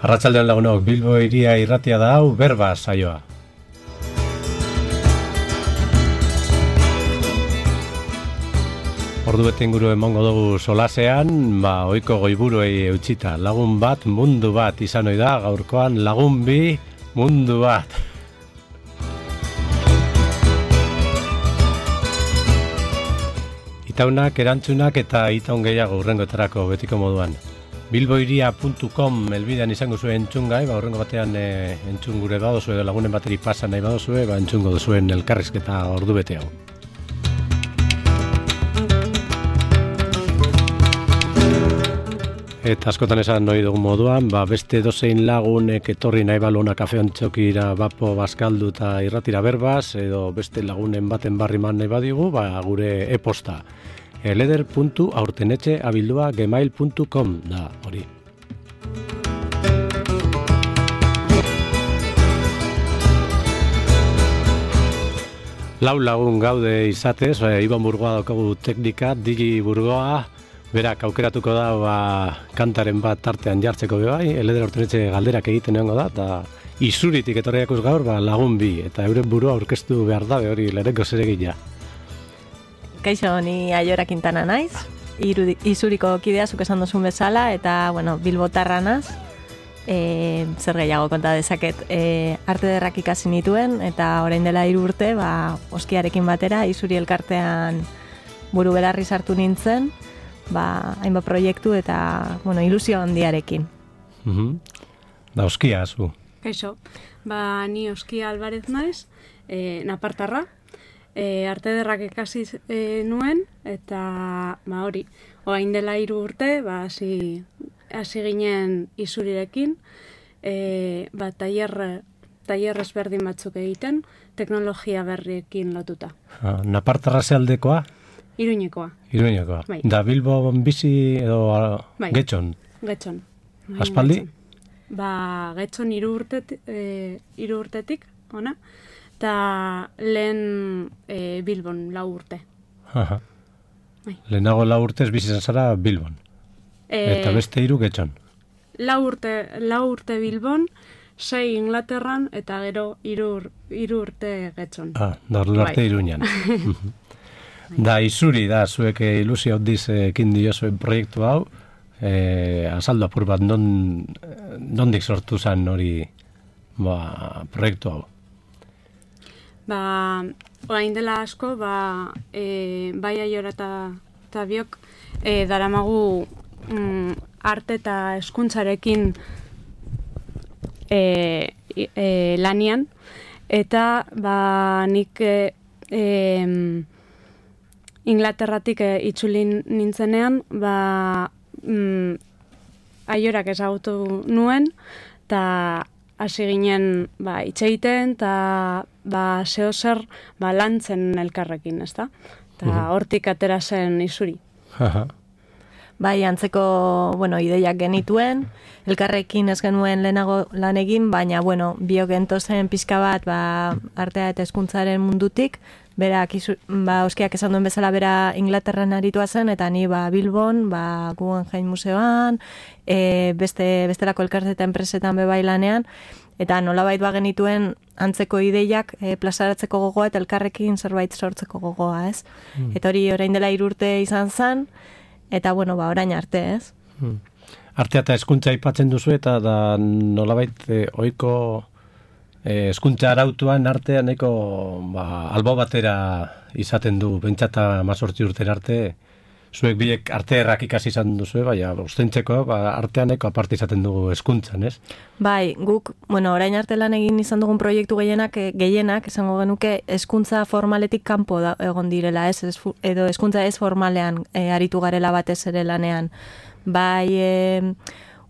Arratsaldean lagunok, Bilbo hiria irratia da hau, berba saioa. Ordu bete inguru emango dugu solasean, ohiko goiburuei eutsita. Lagun bat, mundu bat izan ohi da, gaurkoan lagun bi, mundu bat. Itaunak, erantzunak eta itaun gehiago hurrengoetarako betiko moduan. bilboiria.com elbidean izango zuen entzungai, hurrengo batean entzun gure badozue, edo lagunen bateri pasa nahi badozue, entzungo duzuen elkarrizketa ordu bete hau. Eta askotan esan nahi dugun moduan, beste dozein lagunek etorri nahi balona kafeontxokira bapo bazkaldu eta irratira berbaz, edo beste lagunen baten barriman nahi badigu, gure e-posta. leder.aurtenetxe@gmail.com da hori. Lau lagun gaude izatez, Iban Burgoa daukagu teknika, Digi Burgoa, berak aukeratuko da kantaren bat tartean jartzeko bai, Leder Aurtenetxe galderak egiten egongo da, eta Izuritik etorriakuz gaur lagun bi, eta euren burua aurkeztu behar dabe hori lehenko zeregina. Kaixo, ni Aiora Quintana naiz, Izuriko kidea zuk esan duzun bezala, eta, bilbotarra naz, zer gehiago konta dezaket, arte derrak ikasi nituen, eta orain dela 3 urte, oskiarekin batera, Izuri elkartean buru belarri sartu nintzen, hainbat proiektu eta, ilusio handiarekin. Da oskia, zu? Kaixo, ni Oskia Alvarez naiz, napartarra, arte derrak ikasi nuen, eta hori, orain dela 3 urte, hasi ginen Izurirekin, tailer ezberdin batzuk egiten, teknologia berriekin lotuta. Napartarra zealdekoa? Iruñekoa. Bai. Da Bilbo bizi edo Getxon? Getxon. Aspaldi? Getxon 3 urtetik, ona, eta lehen Bilbon 4 urte. Lehenago 4 urtez bizi zara Bilbon. Eta beste 3 Getxon. 4 urte Bilbon, 6 Inglaterran, eta gero 3 urte Getxon. Da ordu arte Iruñan. Da Izuri da, zuek ilusio handiz ekin diozuen proiektu hau, azaldu apur bat nondik sortu zen hori proiektu hau? Orain dela asko, bai Aiora eta biok, daramagu arte eta hezkuntzarekin lanian, eta nik Inglaterratik itzuli nintzenean, Aiorak ezagutu nuen, eta hasi ginen hitz egiten, eta zeo zer lantzen elkarrekin, ezta? Eta hortik atera zen Izuri. Antzeko, ideiak genituen, elkarrekin ez genuen lehenago lan egin, baina, biok gentozen pixka bat, artea eta hezkuntzaren mundutik, berak, Oskiak esan duen bezala bera Inglaterran aritua zen, eta ni Bilbon, Guggenheim Museoan, bestelako elkarte eta enpresetan bebai lanean, eta nolabait genituen antzeko ideiak plazaratzeko gogoa eta elkarrekin zerbait sortzeko gogoa, ez? Eta hori orain dela 3 urte izan zen, eta orain arte, ez? Artea eta hezkuntza aipatzen duzu, eta nolabait ohiko hezkuntza arautuan artean albo batera izaten du, bentsata 18 urtera arte, zuek biek arte errak ikasi izan duzu, ostentzeko artean aparte izaten dugu hezkuntzan, ez? Bai, guk, orain arte lan egin izan dugun proiektu gehienak, esango genuke, hezkuntza formaletik kanpo egon direla, ez? Edo hezkuntza ez formalean aritu garela batez ere lanean. Bai,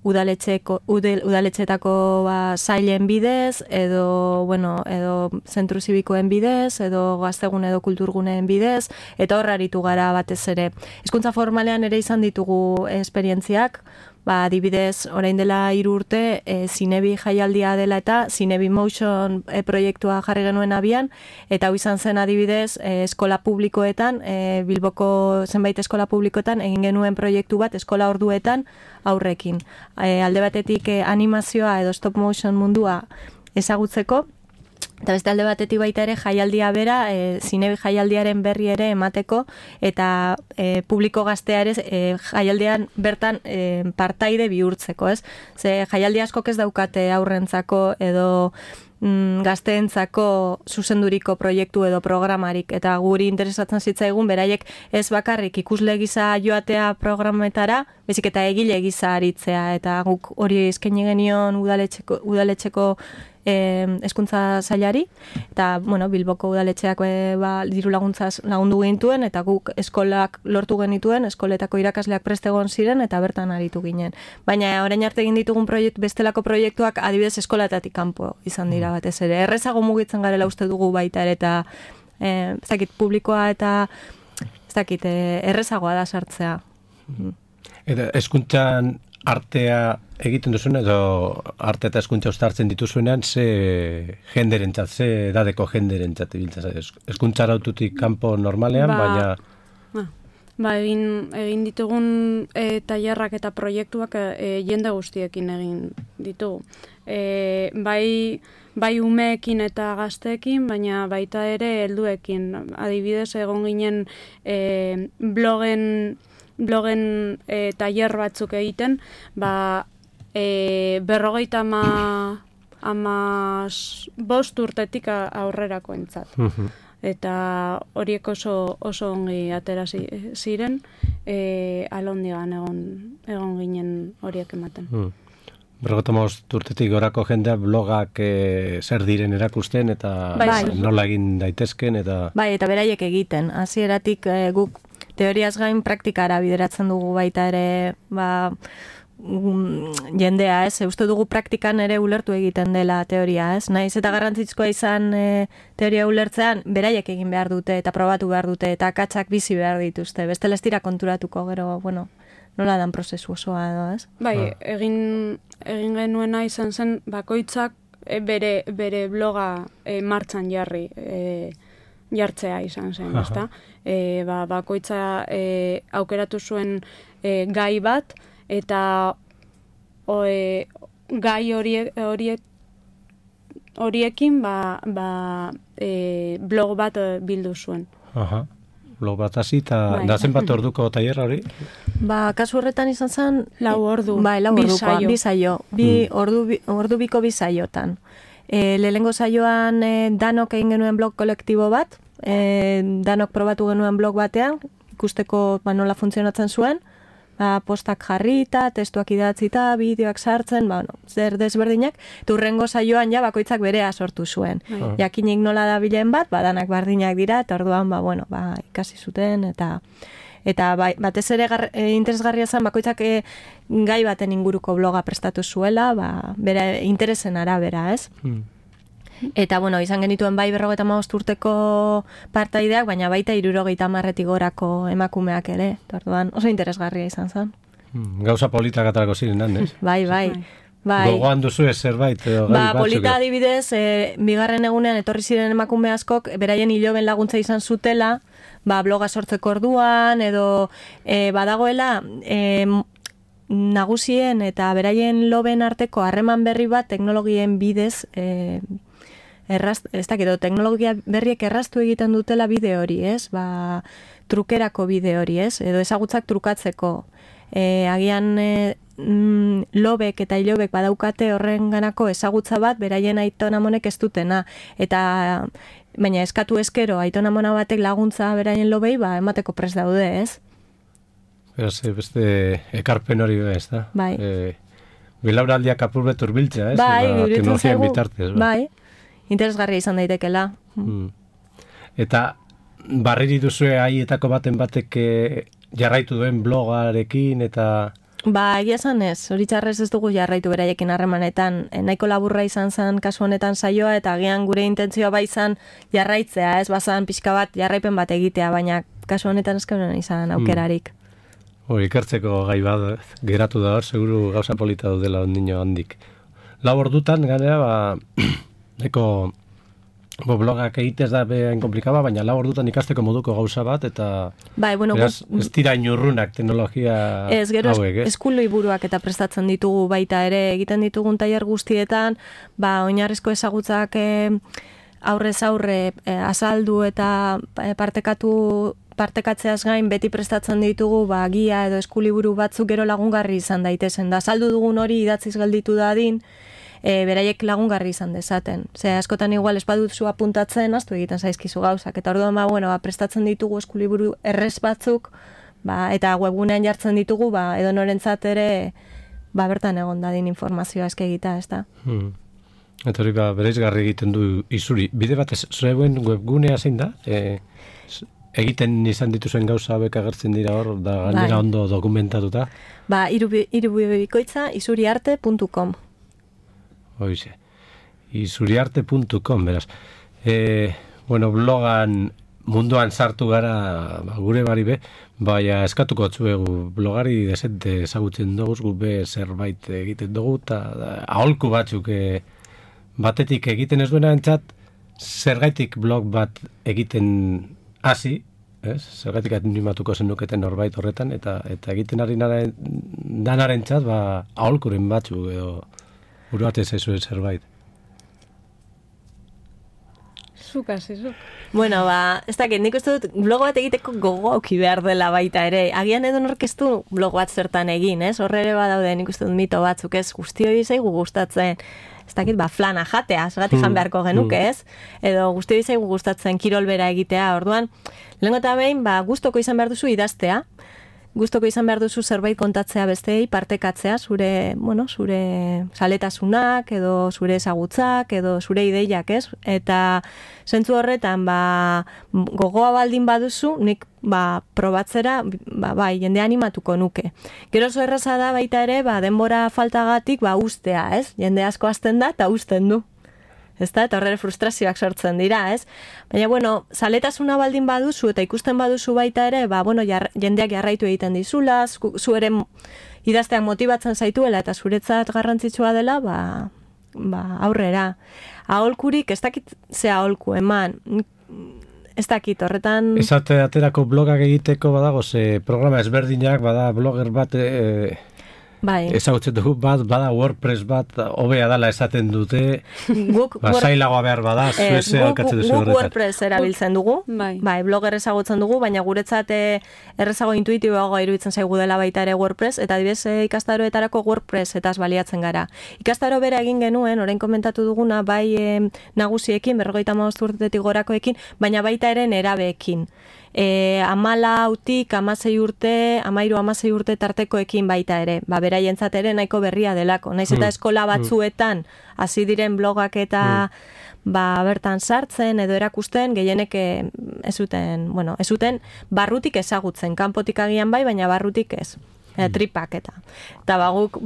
udaletxetako sailen bidez, edo zentru zibikoen bidez, edo gaztegun edo kulturguneen bidez, eta horra aritu gara batez ere. Hezkuntza formalean ere izan ditugu esperientziak, adibidez, orain dela 3 urte, Zinebi jaialdia dela eta Zinebi Motion proiektua jarri genuen abian, eta hau izan zen adibidez, eskola publikoetan, Bilboko zenbait eskola publikoetan, egin genuen proiektu bat eskola orduetan aurrekin. Alde batetik animazioa edo stop motion mundua ezagutzeko, eta beste alde batetik baita ere jaialdia bera, Zinebi jaialdiaren berri ere emateko, eta publiko gaztea ere jaialdian bertan partaide bihurtzeko, ez? Ze jaialdi askok ez daukate aurrentzako edo gazteentzako zuzenduriko proiektu edo programarik, eta guri interesatzen zitzaigun beraiek ez bakarrik ikusle gisa joatea programetara, bezik eta egile gisa aritzea, eta guk hori eskaini genion udaletxeko hezkuntza sailari, eta Bilboko udaletxeak diru laguntzaz lagundu gintuen, eta guk eskolak lortu genituen, eskoletako irakasleak prest egon ziren, eta bertan aritu ginen. Baina orain arte egin ditugun bestelako proiektuak adibidez eskolatatik kanpo izan dira batez ere. Errezago mugitzen garela uste dugu baita ere, eta ez dakit publikoa eta ez dakit errezagoa da sartzea. Eta hezkuntzan artea egiten duzuen edo arte eta hezkuntza uztartzen dituzuenean ze jenderentzat, ze edadeko jenderentzat ibiltzen zaiz? Hezkuntza araututik kanpo normalean, baina egin ditugun tailerrak eta proiektuak jende guztiekin egin ditugu. Bai umeekin eta gazteekin, baina baita ere helduekin. Adibidez, egon ginen blogen tailer batzuk egiten, 55 urtetik aurrerakoentzat. Eta horiek oso ongi atera ziren, alondigan egon ginen horiek ematen. 55 urtetik gorako jendea blogak zer diren erakusten eta nola egin daitezken eta... Bai, eta beraiek egiten. Hasieratik guk teoriaz gain praktikara bideratzen dugu baita ere, jendea, ez? Uste dugu praktikan ere ulertu egiten dela teoria, ez? Naiz eta garrantzitsua izan teoria ulertzean, beraiek egin behar dute eta probatu behar dute eta akatsak bizi behar dituzte. Bestela ez dira konturatuko, gero, nola dan prozesu osoa edo, ez? Bai, egin genuena izan zen bakoitzak bere bloga martxan jartzea izan zen, ezta? Bakoitza aukeratu zuen gai bat, eta gai horiekin blog bat bildu zuen. Blog bat hasi, eta zenbat orduko tailerra hori? Kasu horretan izan zen... 4 ordu. Bai, 4 ordukoa, 2 saio. Ordu biko 2 saiotan. Lehenengo saioan danok egin genuen blog kolektibo bat, danok probatu genuen blog batean, ikusteko nola funtzionatzen zuen, postak jarrita, testuak idatzita, bideoak sartzen, zer desberdinak, eta hurrengo saioan bakoitzak berea sortu zuen. Jakinik nola da bilen bat, danak bardinak dira, eta orduan, ikasi zuten, eta batez ere interesgarria zen, bakoitzak gai baten inguruko bloga prestatu zuela, bere interesen arabera, ez? Eta, izan genituen bai 55 urteko partaideak, baina baita 70 gorako emakumeak ere. Orduan oso interesgarria izan zen. Gauza politak atarako ziren, ez? Bai. Gogoan duzu zerbait? Polita adibidez, bigarren egunean etorri ziren emakume askok, beraien hiloben laguntza izan zutela, bloga sortzeko orduan, edo badagoela nagusien eta beraien loben arteko harreman berri bat teknologien bidez teknologia berriek erraztu egiten dutela bide hori, ez? Trukerako bide hori, ez? Edo ezagutzak trukatzeko. Agian lobek eta ilobek badaukate horren ganako ezagutza bat, beraien aitonamonek ez dutena. Baina eskatu eskero, aitonamona batek laguntza beraien lobei, emateko prest daude, ez? Beste ekarpen hori ez da? Bai. Bilauraldiak apurret urbiltzea, ez? Bai, bitartez, bai. Interesgarria izan daitekela. Eta barriri duzue haietako baten batek jarraitu duen blogarekin eta... Egia esan ez, hori txarrez ez dugu jarraitu beraiekin harremanetan. Nahiko laburra izan zen kasu honetan saioa, eta agian gure intentzioa izan jarraitzea, ez bazan pixka bat jarraipen bat egitea, baina kasu honetan ez izan aukerarik. Ikertzeko gai bat geratu da hor, seguru gauza polita dela ondino handik. 4 ordutan, ganea, neko blogak egitez da behain komplikaba, baina 4 ordutan ikasteko moduko gauza bat, eta bueno, beraz, ez dira inurrunak teknologia hauek, ez? Eskulo iburuak eta prestatzen ditugu baita ere, egiten ditugun tailer guztietan, oinarrizko ezagutzak aurrez aurre azaldu eta partekatzeaz gain beti prestatzen ditugu gia edo eskuliburu batzuk gero lagungarri izan daitezen. Da saldu dugun hori idatziz gelditu dadin, beraiek lagungarri izan dezaten. Askotan igual ez baduzu apuntatzen, aztu egiten zaizkizu gauzak. Eta orduan prestatzen ditugu eskuliburu errez batzuk, eta webgunean jartzen ditugu, edo norentzat ere bertan egon dadin informazioa eske egita, ez da? Eta hori bereizgarri egiten du izuri. Bide batez, zuen webgunea zein da? Egiten izan dituzen gauza hauek agertzen dira hor, da gainera ondo dokumentatuta? Irubikoitza isuriarte.com. Hoize. Isuriarte.com, beraz. Blogan munduan sartu gara gure bari be, baina eskatuko atzuegu blogari desente ezagutzen dugu, gube zerbait egiten dugu, eta aholku batzuk batetik egiten ez duena entzat, zergaitik blog bat egiten hasi, zergaitik animatuko zenuketen norbait horretan, eta egiten ari danaren txat, aholkuren batzuk, edo buruatez ezuen zerbait. Zuk. Bueno, ez dakit, nik uste dut blog bat egiteko gogo auki behar dela baita ere. Agian edo norkeztu blog bat zertan egin, ez? Horre ere badaude nik uste dut mito batzuk, ez? Guztioi zaigu gustatzen, ez dakit, flana jatea, zergatik jan beharko genuke, ez? Edo guztioi zaigu gustatzen kirolbera egitea, orduan, lehenko eta behin, gustoko izan behar duzu idaztea, gustoko izan behar duzu zerbait kontatzea besteei, partekatzea, zure zaletasunak, edo zure ezagutzak, edo zure ideiak, ez? Eta zentzu horretan, gogoa baldin baduzu, nik probatzera, jende animatuko nuke. Gero oso erraza da baita ere, denbora faltagatik, ustea, ez? Jende asko hasten da, eta usten du. Ez da, eta horre frustrazioak sortzen dira, ez? Baina, zaletasuna baldin baduzu eta ikusten baduzu baita ere, jendeak jarraitu egiten dizula, zu ere idazteak motibatzen zaituela eta zuretzat garrantzitsua dela, aurrera. Aholkurik, ez dakit ze aholku eman, ez dakit horretan... Ez aterako blogak egiteko badago, programa ezberdinak, blogger bat... ezagutzen dugu bada WordPress bat, hobea dala esaten dute, zailagoa behar bada, zueze alkatzen duzu horretan. Guk WordPress erabiltzen dugu, blogger ezagutzen dugu, baina guretzat errezago intuitiboagoa iruditzen zaigu dela baita ere WordPress, eta adibidez ikastaroetarako WordPress etaz baliatzen gara. Ikastaro bera egin genuen, orain komentatu duguna, nagusiekin, 55 urtetik gorakoekin, baina baita ere nerabeekin. 14 urte, 16 urte tartekoekin baita ere. Beraientzat ere nahiko berria delako. Naiz eta eskola batzuetan hasi diren blogak eta bertan sartzen edo erakusten, gehienek ez zuten barrutik ezagutzen. Kanpotik agian baina barrutik ez. Tripak eta. Eta guk,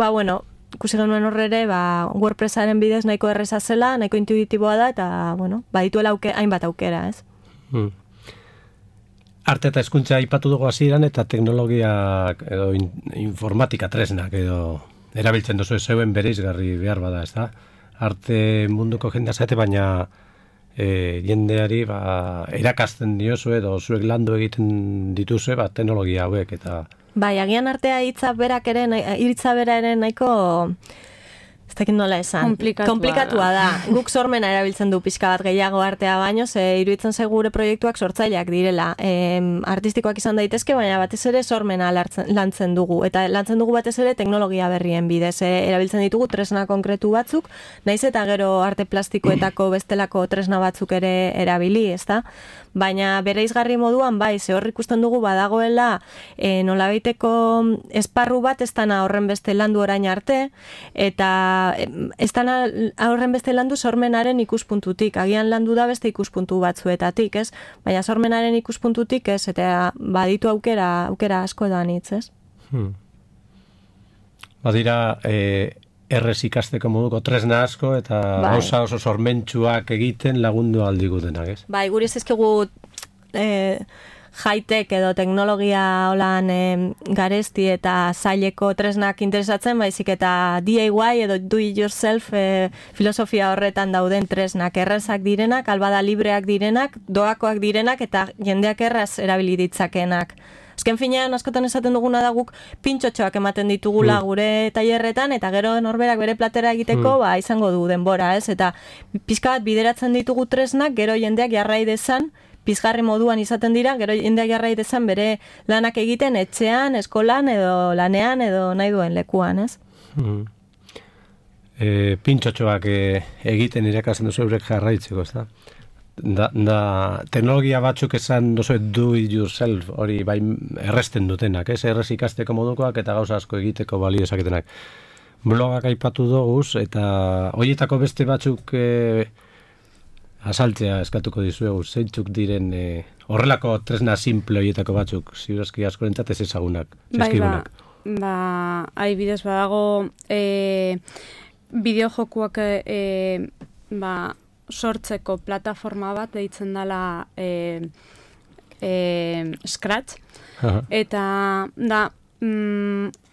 ikusi genuen horre ere, WordPressaren bidez nahiko erreza zela, nahiko intuitiboa da, eta, badituela hainbat aukera, ez? Arte eta hezkuntza aipatu dugu hasieran eta teknologiak edo informatika tresnak edo erabiltzen duzu zeuen bereizgarri behar bada, ez da? Arte munduko jendea zate, baina jendeari erakasten diozu edo zuek landu egiten dituzue teknologia hauek eta... Agian artea hitza bera ere nahiko... Ez dakit nola esan. Komplikatua da. Guk sormena erabiltzen du pixka bat gehiago artea baino, iruditzen gure proiektuak sortzaileak direla. Artistikoak izan daitezke, baina batez ere sormena lantzen dugu. Eta lantzen dugu batez ere teknologia berrien bidez. Erabiltzen ditugu tresna konkretu batzuk, naiz eta gero arte plastikoetako bestelako tresna batzuk ere erabili, ez da? Baina bereizgarri moduan, hor ikusten dugu badagoela nolabaiteko esparru bat ez dana horren beste landu orain arte, eta ez dana horren beste landu sormenaren ikuspuntutik. Agian landu da beste ikuspuntu batzuetatik, ez? Baina sormenaren ikuspuntutik ez, eta baditu aukera asko da nitz, ez? Badira... errez ikasteko moduko tresna asko eta gauza oso sormentsuak egiten lagundu aldigutenak, ez? Guri ez ezkegu high-tech edo teknologia holan garesti eta zaileko tresnak interesatzen, baizik eta DIY edo do it yourself filosofia horretan dauden tresnak errazak direnak, albada libreak direnak, doakoak direnak eta jendeak erraz erabili ditzakenak. Azken finean, askotan esaten duguna da guk pintxotxoak ematen ditugula gure tailerretan, eta gero norberak bere platera egiteko izango du denbora, ez? Eta pizka bat bideratzen ditugu tresnak, gero jendeak jarrai dezan, pizgarri moduan izaten dira, gero jendeak jarrai dezan bere lanak egiten etxean, eskolan edo lanean edo nahi duen lekuan, ez? Pintxotxoak egiten irakasen duzu eurek jarraitzeko, ez da? Da, teknologia batzuk esan dozu do it yourself, hori bai erresten dutenak, ez? Errez ikasteko modukoak eta gauza asko egiteko balio esaketenak. Blogak aipatu doguz, eta horietako beste batzuk asaltzea eskatuko dizuegu, zeintzuk diren horrelako tresna simple horietako batzuk, ziurazki askorentzat ez ezagunak, zizkigunak. Adibidez badago bideojokuak sortzeko plataforma bat deitzen dela Scratch. Eta da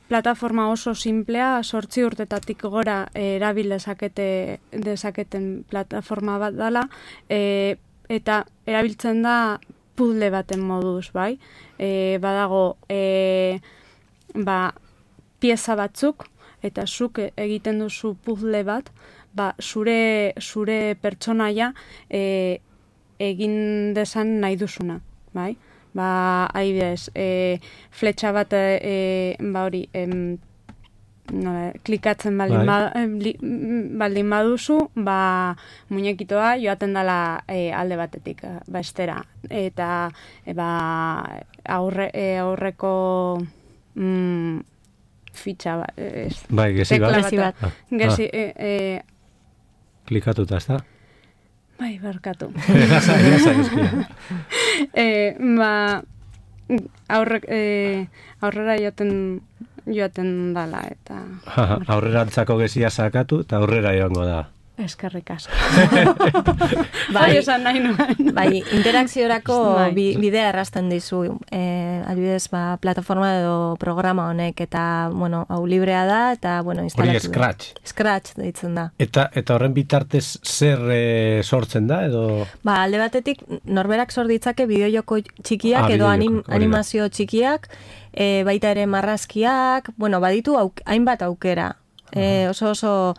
plataforma oso simplea, 8 urtetatik gora erabil dezaketen plataforma bat dela, eta erabiltzen da puzzle baten moduz, bai? Badago pieza batzuk, eta zuk egiten duzu puzzle bat, zure pertsonaia egin desan nahi duzuna, bai? Adibidez, fletxa bat hori klikatzen baldin baduzu, muñekitoa joaten dela alde batetik, estera. Eta aurreko fitxa bat. Bai, gezi bat. Gezi, klikatuta, ez da? Bai, barkatu. Aurrera joaten dala, eta... Aurrera antzako gezia sakatu, eta aurrera joango da. Eskerrik asko. Esan nahi nuen. Bai, interakziorako bidea errazten dizu. Adibidez, plataforma edo programa honek, eta, hau librea da, eta, instalatu. Hori Scratch. Scratch deitzen da. Eta horren bitartez zer sortzen da, edo? Alde batetik, norberak sort ditzake bideojoko txikiak, edo animazio txikiak, baita ere marrazkiak, baditu hainbat aukera. Oso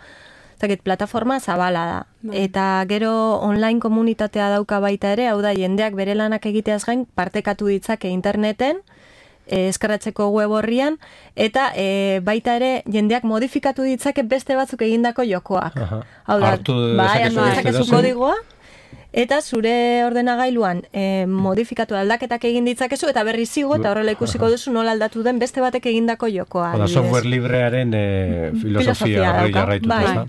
plataforma zabala da. Eta gero online komunitatea dauka baita ere, hau da jendeak bere lanak egiteaz gain partekatu ditzake interneten, eskarratzeko web horrian, eta baita ere jendeak modifikatu ditzake beste batzuk egindako jokoak. Hau da, hartu dezakezu kodigoa, eta zure ordenagailuan modifikatu aldaketak egin ditzakezu, eta berri zigo, eta horrela ikusiko duzu nola aldatu den beste batek egindako jokoa. Oda, software librearen filosofia hori jarraituta.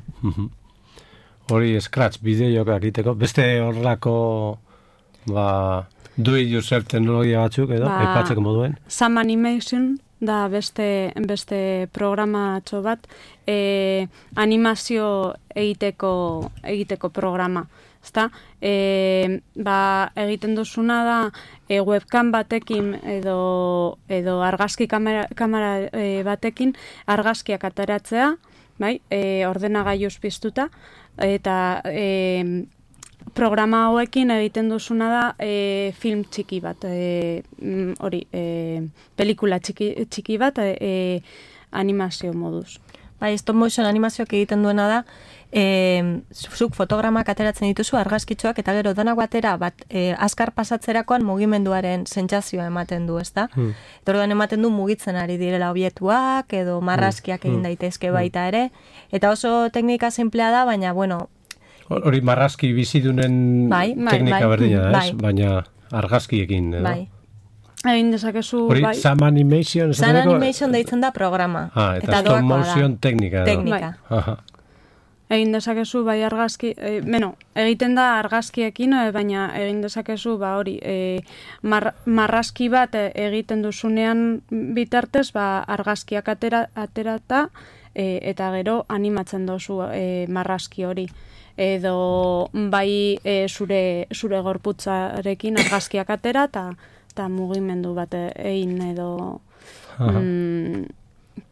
Hori Scratch bideoak egiteko, beste horrelako do it yourself teknologia batzuk edo, aipatzeko moduen. Sam Animation da beste programatxo bat, animazio egiteko programa. Egiten duzuna da webcam batekin edo argazki kamera batekin argazkiak ateratzea, ordenagailuz piztuta, eta programa hauekin egiten duzuna da film txiki bat, pelikula txiki bat animazio moduz. Stop motion animazioak egiten duena da, zuk fotogramak ateratzen dituzu argazkitxoak, eta gero danak batera azkar pasatzerakoan mugimenduaren sentsazioa ematen du, ezta? Eta orduan ematen du mugitzen ari direla obietuak, edo marrazkiak egin daitezke baita ere, eta oso teknika simplea da, baina, hori marrazki bizidunen teknika berdina da, ez? Baina argazkiekin, edo? Bai. Egin dezakezu... Hori, Sam Animation... Sam Animation deitzen da programa. Eta stop motion teknika. Egin dezakezu, bai argazki... egiten da argazkiekin, baina egin dezakezu, marrazki bat egiten duzunean bitartez, argazkiak aterata, eta gero animatzen dozu marrazki hori. Edo bai zure gorputzarekin argazkiak atera, eta da mugimendu bat egin edo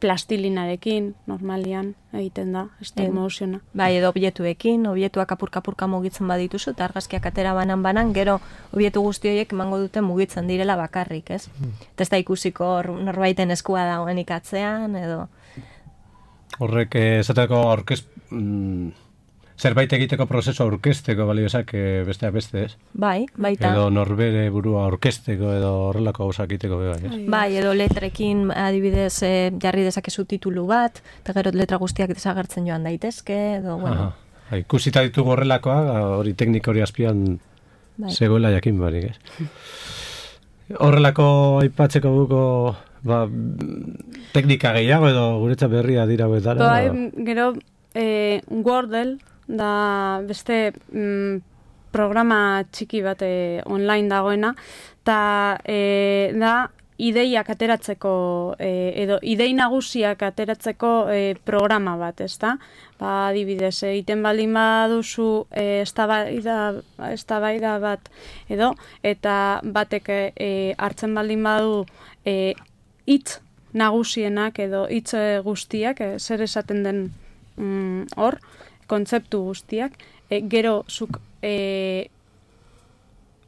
plastilinarekin, normalian egiten da, stop motiona. Bai, edo objetuekin, objetuak apurka mugitzen badituzu, eta argazkiak atera banan, gero objetu guzti horiek emango dute mugitzen direla bakarrik, ez? Eta ez da ikusiko norbaiten eskua dagoenik atzean, edo... Horrek, esateko zerbait egiteko prozesu aurkezteko baliozak besteak beste, ez? Bai, baita. Edo norbere burua aurkezteko edo horrelako gauzak egiteko bai, ez? Bai, edo letrekin adibidez jarri dezakezu titulu bat, eta gero letra guztiak desagertzen joan daitezke, edo, bueno. Ikusita ditugu horrelakoa, hori teknika hori azpian zegoela jakin barik, ez? Horrelako aipatzeko duko teknika gehiago edo guretzat berria dira betara? Bai, gero Wordle, da beste programa txiki bat online dagoena, eta da ideiak ateratzeko, edo idei nagusiak ateratzeko programa bat, ezta? Adibidez, egiten baldin baduzu eztabaida bat edo, eta batek hartzen baldin badu hitz nagusienak edo hitz guztiak, zer esaten den hor, kontzeptu guztiak, gero zuk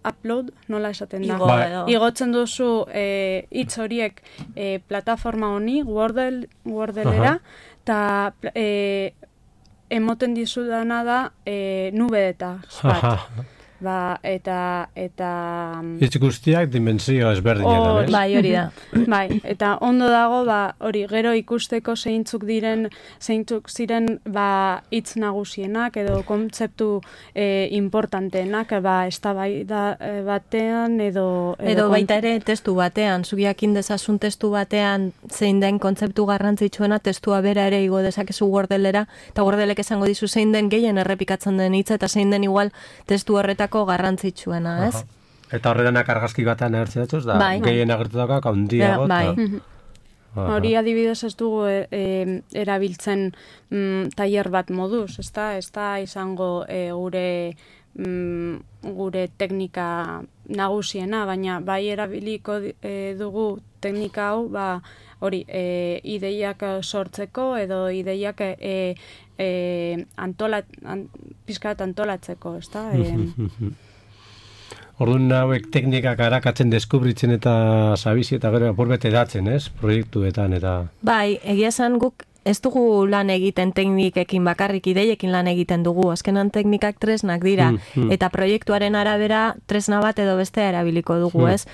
upload, nola esaten da? Igotzen duzu hitz horiek plataforma honi, Wordlera, eta emoten dizudana da nubedeta bat. Eta hitz guztiak dimensio ezberdinetan, ez? Bai, hori da. Bai, eta ondo dago, hori gero ikusteko zeintzuk ziren hitz nagusienak edo kontzeptu importanteenak, eztabaida batean edo baita ere testu batean, zubiakin dezazun testu batean zein den kontzeptu garrantzitsuena, testua bera ere igo dezakezu Wordlera, eta Wordlek esango dizu zein den gehien errepikatzen den hitza eta zein den igual testu horretako garrantzitsuena, ez? Eta horrelanak argazki batean agertzen datuz, da gehien agertutako handiago. Hori adibidez ez dugu erabiltzen tailer bat moduz, ez da izango gure teknika nagusiena, baina bai erabiliko dugu teknika hau, hori ideiak sortzeko edo ideiak pizkat antolatzeko, ez da? Orduan hauek teknikak arakatzen deskubritzen eta zabizi eta gero apurbete datzen, ez? Proiektuetan eta... Bai, egia esan guk ez dugu lan egiten teknikekin bakarrik, ideiekin lan egiten dugu. Azkenan teknikak tresnak dira. Eta proiektuaren arabera tresna bat edo bestea erabiliko dugu, ez?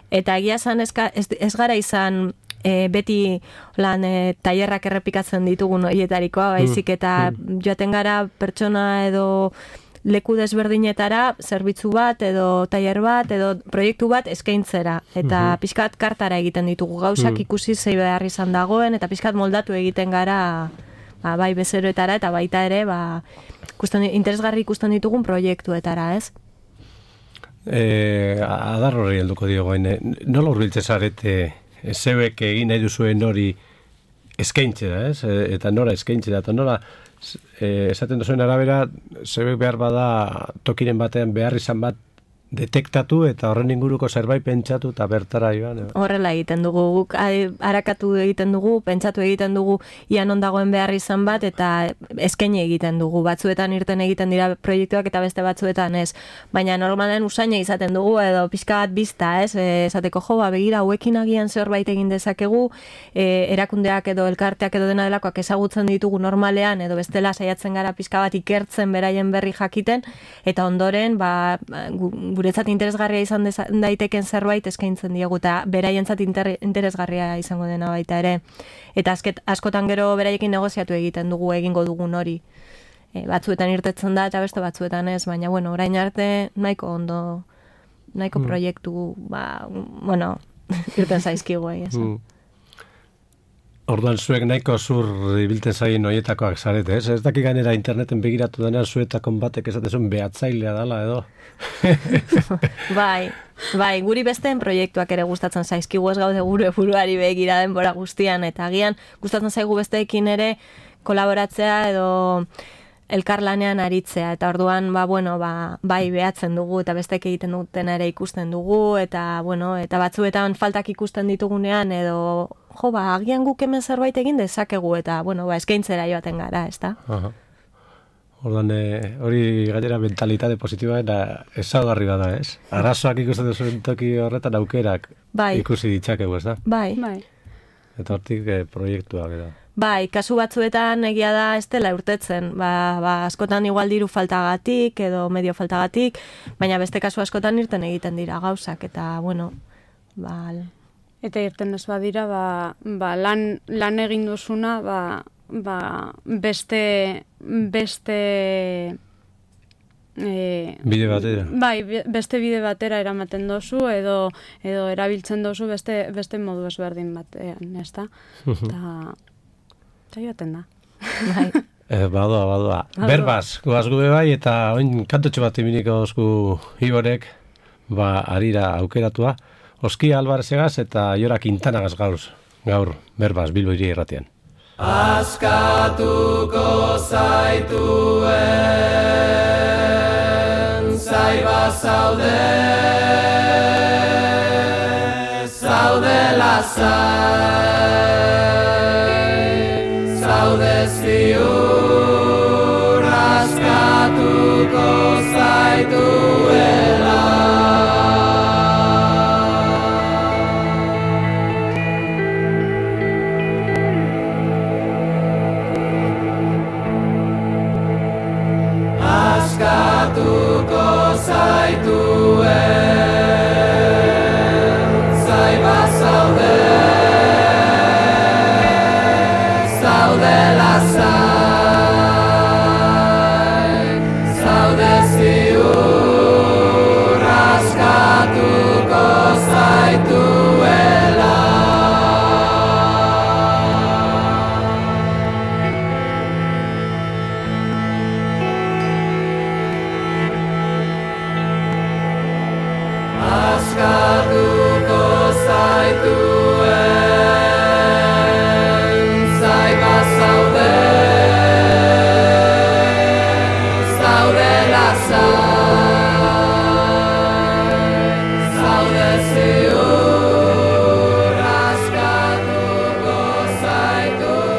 Eta egia esan ez gara izan beti lan tailerrak errepikatzen ditugun horietarikoa, baizik eta joaten gara pertsona edo leku desberdinetara zerbitzu bat edo tailer bat edo proiektu bat eskaintzera eta pixkat kartara egiten ditugu gauzak ikusi zei behar izan dagoen eta pixkat moldatu egiten gara bai bezeroetara eta baita ere interesgarri ikusten ditugun proiektuetara, ez? Adar horri helduko diogoen, nola hurbiltzen zarete zeuek egin nahi duzuen hori eskaintzera, ez? Eta nora eskaintzera, eta nola esaten duzuen arabera, zeuek behar bada tokiren batean behar izan bat detektatu eta horren inguruko zerbait pentsatu eta bertara joan. Horrela egiten dugu, guk arakatu egiten dugu, pentsatu egiten dugu ian ondagoen behar izan bat eta eskaini egiten dugu. Batzuetan irten egiten dira proiektuak eta beste batzuetan ez. Baina normalen usaina izaten dugu edo pixka bat bizta, ez? Esateko begira, hauekin agian zerbait egin dezakegu, erakundeak edo elkarteak edo dena delakoak ezagutzen ditugu normalean edo bestela saiatzen gara pixka bat ikertzen beraien berri jakiten eta ondoren, guretzat interesgarria izan daiteken zerbait eskaintzen diegu eta beraientzat interesgarria izango dena baita ere. Eta askotan gero beraiekin negoziatu egiten dugu egingo dugun hori. Batzuetan irtetzen da eta beste batzuetan ez, baina orain arte nahiko ondo, nahiko proiektu, irten zaizkigu esan. Orduan zuek nahiko zur ibiltzen zaien horietakoak zarete, ez? Ez daki gainera interneten begiratu denean zuetakon batek esaten zuen behatzailea dela edo. Bai, guri besteen proiektuak ere gustatzen zaizkigu, ez gaude gure buruari begira denbora guztian, eta agian gustatzen zaigu besteekin ere kolaboratzea edo elkarlanean aritzea, eta orduan, bai behatzen dugu, eta bestek egiten duten ere ikusten dugu, eta, eta batzuetan faltak ikusten ditugunean, edo, agian guk hemen zerbait egin dezakegu, eta, eskaintzera joaten gara, ez da? Ordan hori gainera mentalitate positiboa eta ezaugarri bada, ez? Arazoak ikusten duzuen toki horretan aukerak ikusi ditzakegu, ez da? Bai. Eta hortik proiektuak edo. Bai, kasu batzuetan egia da ez dela urtetzen. Askotan igual diru faltagatik edo medio faltagatik, baina beste kasu askotan irten egiten dira gauzak, eta, Eta irten ez badira, lan egin duzuna, beste bide batera. Bai, beste bide batera eramaten dozu edo erabiltzen dozu beste modu ezberdin batean, ezta? Eta joaten da. Bai. Badoa. Berbaz, goaz gube bai, eta oin kantotxo bat iminiko dozku Iborek, arira aukeratua, Oskia Alvarezegaz eta Jora Quintanagaz gaur, Berbaz, Bilbo hiri irratian. Askatuko zaituen zaiba zaudela zaude ziur askatuko zaituela. Askatuko zaituen zaiba zaudela zaude ziur askatuko zaituela. Askatuko zaituen zaiba zaudela zaude ziur askatuko zaituela.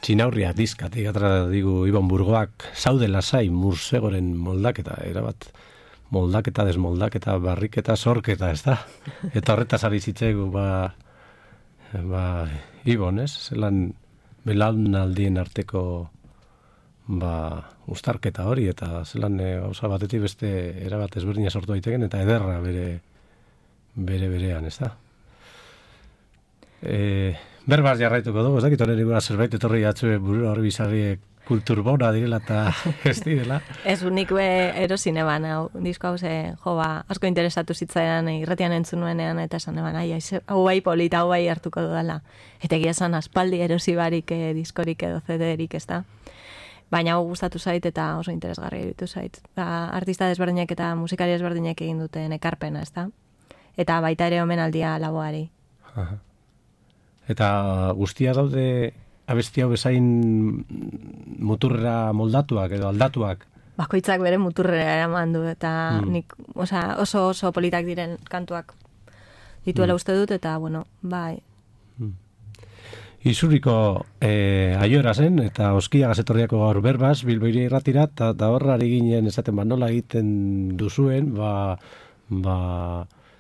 txinaurria dizkatik atra digu Ibon Burgoak zaude lasai mursegoren moldaketa, erabat moldaketa, desmoldaketa, barriketa, sorketa, ez da? Eta horretaz ari zitzaigu, Ibon, ez? Zelan belaunaldien arteko ustarketa hori, eta zelan gauza batetik beste erabat ezberdina sortu daiteken, eta ederra berean, ez da? Berbaz jarraituko dugu, ez dakit horren igura zerbait etorri jatzue burura horri bizarri kulturbona direla eta ez direla. Ez unik erosine ban, disko hau asko interesatu zitzaidan irratian entzun nuenean, eta esan eban, hau bai polita, hau bai hartuko dudala. Eta egia esan aspaldi erosi barik diskorik edo CD-erik, ez da? Baina hau gustatu zait eta oso interesgarria iruditu zait. Artista desberdinek eta musikari desberdinek egin duten ekarpena, ez da? Eta baita ere omenaldia laboari. Aha. Eta guztia daude abesti hau bezain muturrera moldatuak edo aldatuak? Bakoitzak bere muturrera eraman du, eta nik oso politak diren kantuak dituela uste dut, eta bueno, bai. Izurriko aiora zen, eta oskia gazetorriako gaur berbaz, Bilboiri irratira, eta horrari ginen esaten nola egiten duzuen,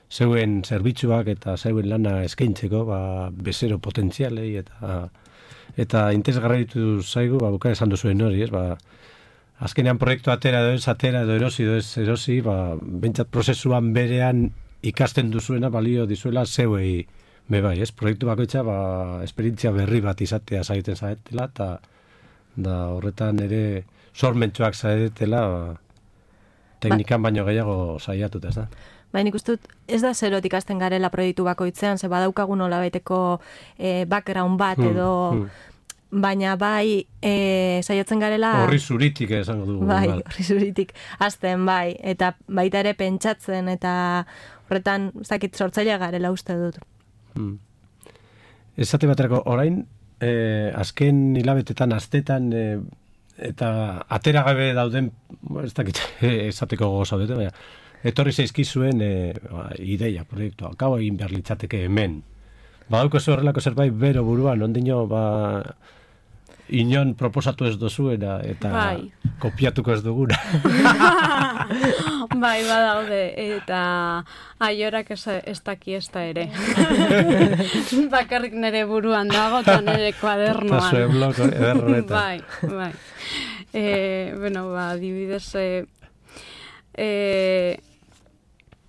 zeuen zerbitzuak eta zeuen lana eskaintzeko, bezero potentzialei, eta interesgarritu zaigu, buka esan duzuen hori, ez, azkenean proiektu atera edo erosi, bentsat prozesuan berean ikasten duzuena balio dizuela zeuei bai, ez, proiektu bakoitza, esperientzia berri bat izatea zaiten zaetela, eta horretan ere sormentsuak zaetela, teknikan baino gehiago saiatuta, ez da? Nik uste dut, ez da zerotik ikasten garela proiektu bakoitzean, ze badaukagun nola baiteko background bat edo, baina bai saiatzen garela... Horri zuritik esango dugu. Bai, horri zuritik azten, bai, eta baita ere pentsatzen, eta horretan, ez dakit sortzailea garela uste dut. Esate baterako, orain, azken hilabetetan, astetan, eta atera gabe dauden, ez dakit esateko gozo dute, baina, etorri zaizkizuen ideia, proiektua, gau egin behar litzateke hemen. Badauko zu horrelako zerbait bero buruan, ondino, inon proposatu ez dozuena, eta kopiatuko ez duguna. Bai, badaude, eta aiorak ez daki ez da ere. Bakarrik nire buruan dago, eta nire kuadernoan. Eta zuen bloko ederronetan. Bai. Bueno, adibidez,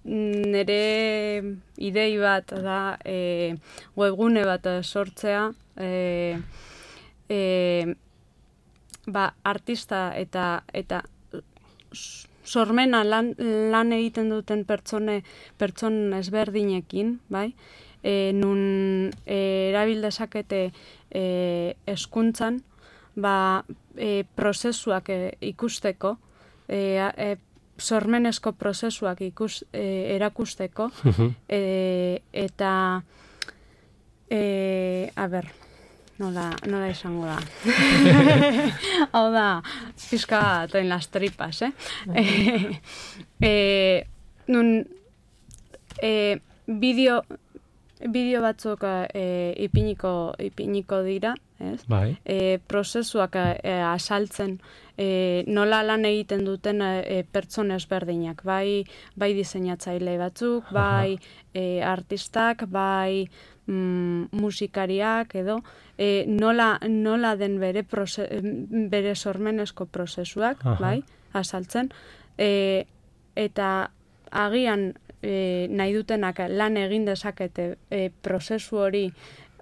nire idei bat da webgune bat sortzea, artista eta sormena lan egiten duten pertson ezberdinekin, bai? Nun erabil dezakete hezkuntzan, prozesuak ikusteko, sormenezko prozesuak erakusteko, eta nola esango da. Hau da, pizka toen las tripas, bideo batzuk ipiniko dira, ez? Bai. Prozesuak asaltzen nola lan egiten duten pertsona ezberdinak, bai diseinatzaile batzuk, bai artistak, bai musikariak edo, nola den bere sormenezko prozesuak, bai, asaltzen, eta agian nahi dutenak lan egin dezakete prozesu hori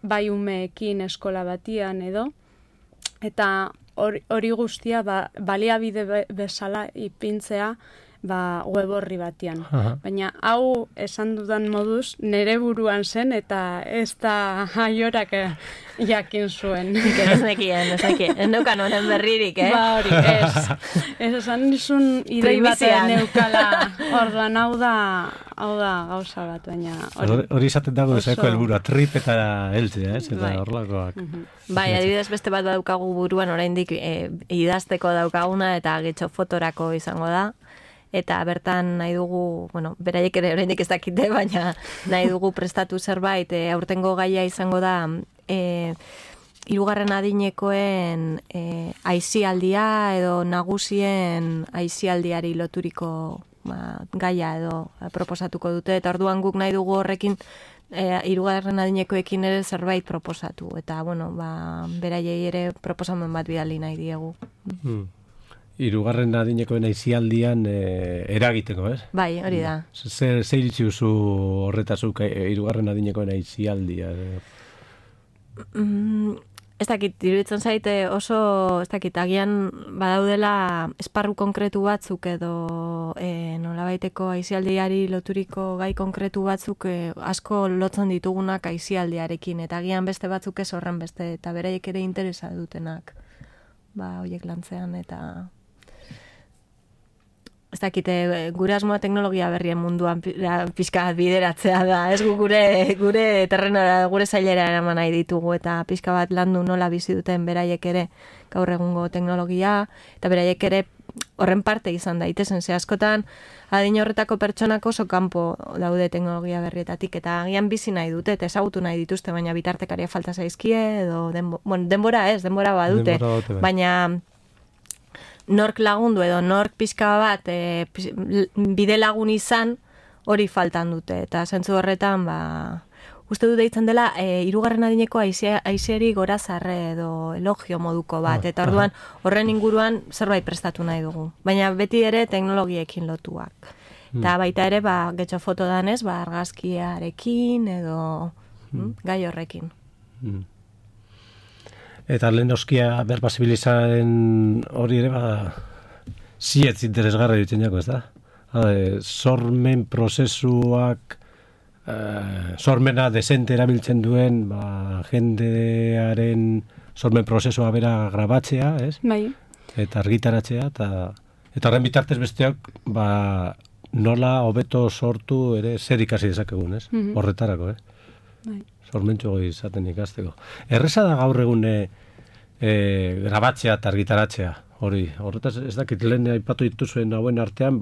bai umeekin eskola batian edo, eta hori guztia baliabide bezala ipintzea web horri batian. Baina hau esan dudan moduz nire buruan zen eta ez da aiorak jakin zuen. Ez nekien, ez neukan honen berririk, hori, ez esan nizun idei bat neukala, orduan hau da gauza bat, baina... Hori izaten dago ezako helburua, trip eta heltzea, ez? Eta horlakoak. Bai, adibidez beste bat daukagu buruan, oraindik idazteko daukaguna eta getxo fotorako izango da. Eta bertan nahi dugu, beraiek ere oraindik ez dakite, baina nahi dugu prestatu zerbait, aurtengo gaia izango da hirugarren adinekoen aisialdia edo nagusien aisialdiari loturiko gaia edo proposatuko dute, eta orduan guk nahi dugu horrekin hirugarren adinekoekin ere zerbait proposatu, eta bueno, beraiei ere proposamen bat bidali nahi diegu. Hirugarren adinekoen aisialdian eragiteko, ez? Bai, hori da. Zer iritzi duzu horretazuk hirugarren adinekoen aisialdia? Ez dakit, iruditzen zaite oso, ez dakit, agian badaudela esparru konkretu batzuk edo nolabaiteko aisialdiari loturiko gai konkretu batzuk asko lotzen ditugunak aisialdiarekin, eta agian beste batzuk ez horren beste, eta beraiek ere interesa dutenak, horiek lantzean, eta ez dakite, gure asmoa teknologia berrien munduan pixka bideratzea da, ez gure terrenora, gure zailera eraman nahi ditugu, eta pixka bat landu nola bizi duten beraiek ere gaur egungo teknologia, eta beraiek ere horren parte izan daitezen, ze askotan adin horretako pertsonak oso kanpo daude teknologia berrietatik, eta agian bizi nahi dute, eta ezagutu nahi dituzte, baina bitartekaria falta zaizkie, edo denbora badute, baina nork lagundu edo nork pixka bat bide lagun izan hori faltan dute, eta zentzu horretan uste dut deitzen dela hirugarren adineko aiseari gorazarre edo elogio moduko bat, eta orduan horren inguruan zerbait prestatu nahi dugu, baina beti ere teknologiekin lotuak, eta baita ere getxo foto danez argazkiarekin edo gai horrekin. Eta lehen oskia berbasibilizaren hori ere zietz interesgarra ditzen jako, ez da? Sormen prozesuak, sormena desente erabiltzen duen, jendearen sormen prozesua bera grabatzea, ez? Bai. Eta argitaratzea, eta horren bitartez besteak, nola hobeto sortu ere zer ikasi dezakegun, ez? Horretarako, Bai. Sormentxo izaten ikasteko. Erreza da gaur egun grabatzea eta argitaratzea. Horretaz ez dakit lehen aipatu dituzuen hauen artean,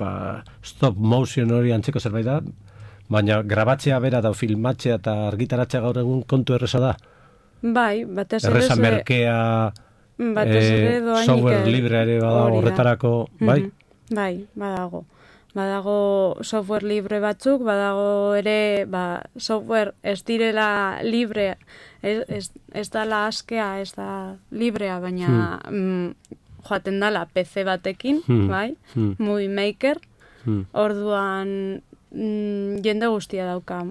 stop motion hori antzeko zerbait da, baina grabatzea bera da, filmatzea eta argitaratzea gaur egun kontu erreza da. Bai, batez ere... Erreza merkea, software libre ere bada horretarako, bai? Bai, badago software libre batzuk, badago ere software ez direla libre, ez dala askea, ez da librea, baina joaten dala PC batekin, bai, Movie Maker, orduan jende guztia dauka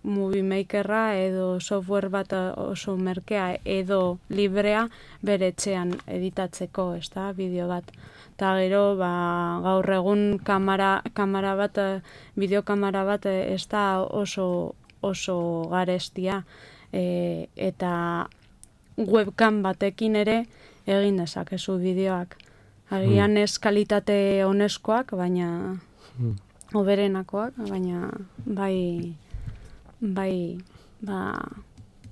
Movie Makerra edo software bat oso merkea edo librea bere etxean editatzeko, ez da, bideo bat. Eta gero, gaur egun kamera bat, bideokamera bat ez da oso garestia, eta webcam batekin ere egin dezakezu bideoak. Agian ez kalitate oneskoak, baina hoberenakoak, baina bai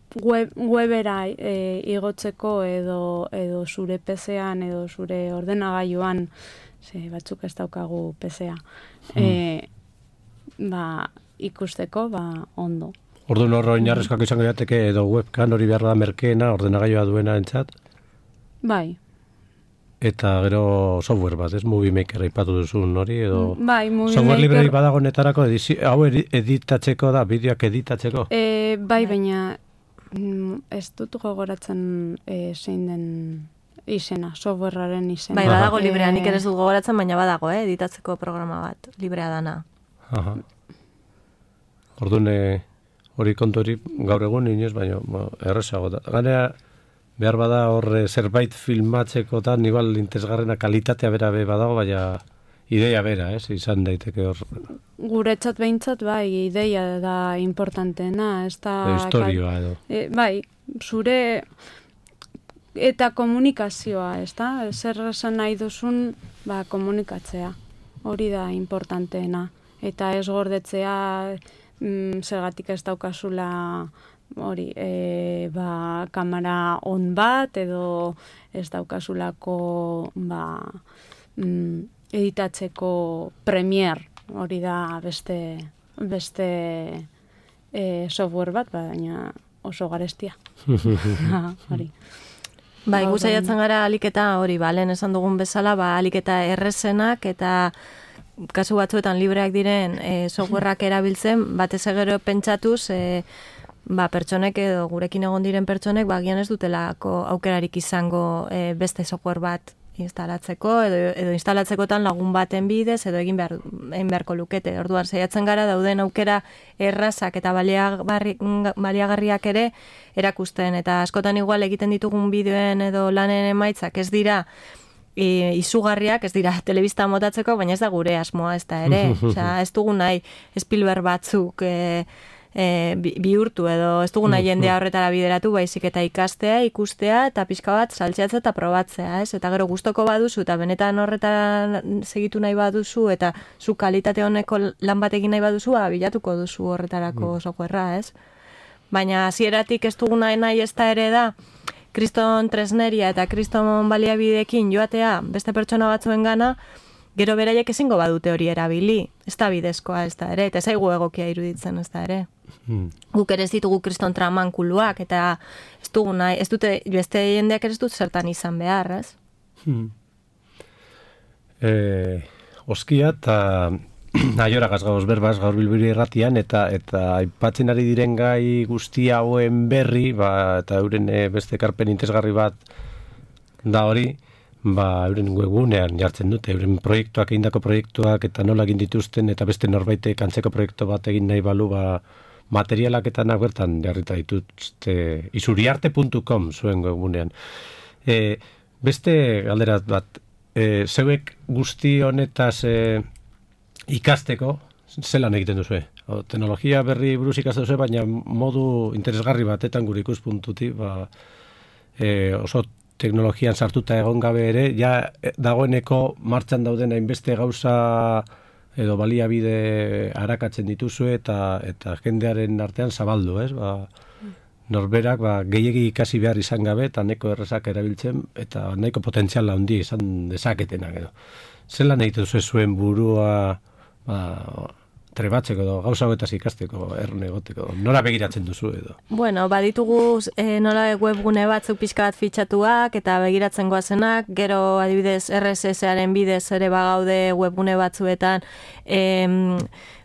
webera igotzeko edo zure PC-an edo zure ordenagailuan, batzuk ez daukagu PC-a, ikusteko ondo. Orduan horro oinarrizkoak izango jateke edo webcam hori behar da merkeena ordenagailua duena entzat? Bai. Eta gero software bat, ez? Movie Maker aipatu duzun hori, edo... Bai, Movie software Maker... libre badago netarako, hau editatzeko da, bideoak editatzeko? Bai, baina ez dut gogoratzen zein den izena, softwarearen izena. Bai, badago librea, nik ere ez dut gogoratzen, baina badago, editatzeko programa bat, librea dana. Orduan, hori kontu hori gaur egun inoz, baina errezago da. Ganea, behar bada horre zerbait filmatzeko eta igual interesgarrena kalitatea bera badago, baina ideia bera, izan daiteke hor. Guretzat behintzat, bai, ideia da importanteena, ez da... Historioa edo. Bai, zure eta komunikazioa, ez da? Zer esan nahi duzun, komunikatzea. Hori da importanteena. Eta ez gordetzea, zergatik ez daukazula... hori, kamera on bat, edo ez daukazulako editatzeko Premiere, hori da beste software bat, baina oso garestia. Hori. Bai, gu saiatzen gara aliketa hori, lehen esan dugun bezala, aliketa errezenak eta kasu batzuetan libreak diren softwareak erabiltzen, batez gero pentsatuz, pertsonek edo gurekin egon diren pertsonek, agian ez dutelako aukerarik izango beste software bat instalatzeko, edo instalatzekotan lagun baten bidez, edo egin beharko lukete. Orduan, saiatzen gara dauden aukera errazak eta baliagarriak ere erakusten, eta askotan igual egiten ditugun bideoen edo lanen emaitzak ez dira izugarriak, ez dira telebista motatzeko, baina ez da gure asmoa ez da ere. Osea, ez dugu nahi Spielberg batzuk bihurtu edo ez dugu nahi jendea horretara bideratu, baizik eta ikastea, ikustea eta pixka bat saltzeatzea eta probatzea, ez? Eta gero gustoko baduzu eta benetan horretara segitu nahi baduzu eta zu kalitate honeko lan bat egin nahi baduzu, bilatuko duzu horretarako softwarea, ez? Baina hasieratik ez dugu nahi ez da ere da kriston tresneria eta kriston baliabideekin joatea beste pertsona batzuen gana, gero beraiek ezingo badute hori erabili, ez da bidezkoa ez da ere, eta ez zaigu egokia iruditzen ez da ere. Guk ere ez ditugu kriston tramankuluak, eta ez dugu nahi, ez dute, beste jendeak ere ez dut zertan izan behar, ez? Oskia eta naiorak gauz berbaz gaur Bilbiri Irratian, eta aipatzen ari diren gai guzti hauen berri, eta euren beste ekarpen interesgarri bat da hori, euren webgunean jartzen dute, euren proiektuak, egindako proiektuak, eta nola egin dituzten, eta beste norbaitek antzeko proiektu bat egin nahi balu, materialak eta bertan jarrita dituzte, isuriarte.com zuen webgunean. Beste galderat bat, zeuek guzti honetaz ikasteko, zelan egiten duzu? Teknologia berri buruz ikasten duzu, baina modu interesgarri batetan gure ikuspuntutik, oso teknologian sartuta egon gabe ere, ja dagoeneko martxan dauden hainbeste gauza edo baliabide arakatzen dituzu eta jendearen artean zabaldu, ez? Norberak gehiegi ikasi behar izan gabe eta nahiko errezak erabiltzen eta nahiko potentziala handi izan dezaketenak edo. Zelan egiten zuen burua trebatzeko edo gauza hauetaz ikasteko, erne egoteko, nora begiratzen duzu edo? Bueno, baditugu nola webgune batzuk pixka bat fitxatuak eta begiratzen goazenak, gero adibidez RSS-aren bidez ere bagaude webgune batzuetan,